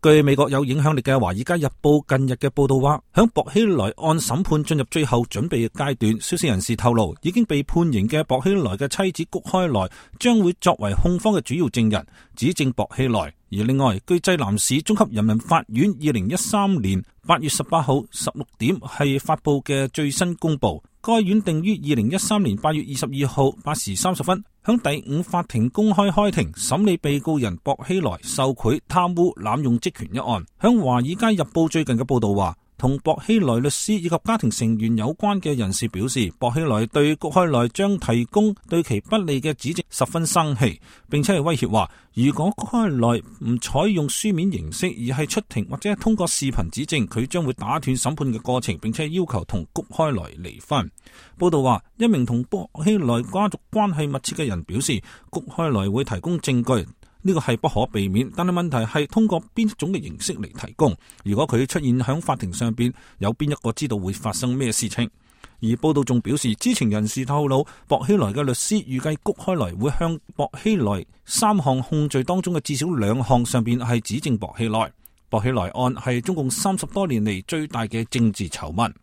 據美國有影響力嘅《華爾街日報》近日嘅報道話，響薄熙來案審判進入最後準備嘅階段，消息人士透露，已經被判刑嘅薄熙來嘅妻子谷開來將會作為控方嘅主要證人，指證薄熙來。而另外，據濟南市中級人民法院2013年8月18號16點係發布嘅最新公佈，該院定於2013年8月22號8時30分，響第5法庭公開開庭審理被告人薄熙來受賄、貪污、濫用職權一案。響華爾街日報最近嘅報道話，同薄熙來律師以及家庭成員有關嘅人士表示，薄熙來對谷開來將提供對其不利嘅指證十分生氣，並且係威脅話，如果谷開來唔採用書面形式，而係出庭或者通過視頻指證，佢將會打斷審判嘅過程，並且要求同谷開來離婚。報道話，一名同薄熙來家族關係密切嘅人表示，谷開來會提供證據。呢個係不可避免，但係問題係通過邊種嘅形式嚟提供。如果佢出現響法庭上邊，有邊一個知道會發生咩事情？而報道仲表示，知情人士透露，薄熙來嘅律師預計谷開來會向薄熙來3項控罪當中嘅至少2項上邊係指證薄熙來。薄熙來案係中共30多年嚟最大嘅政治醜聞。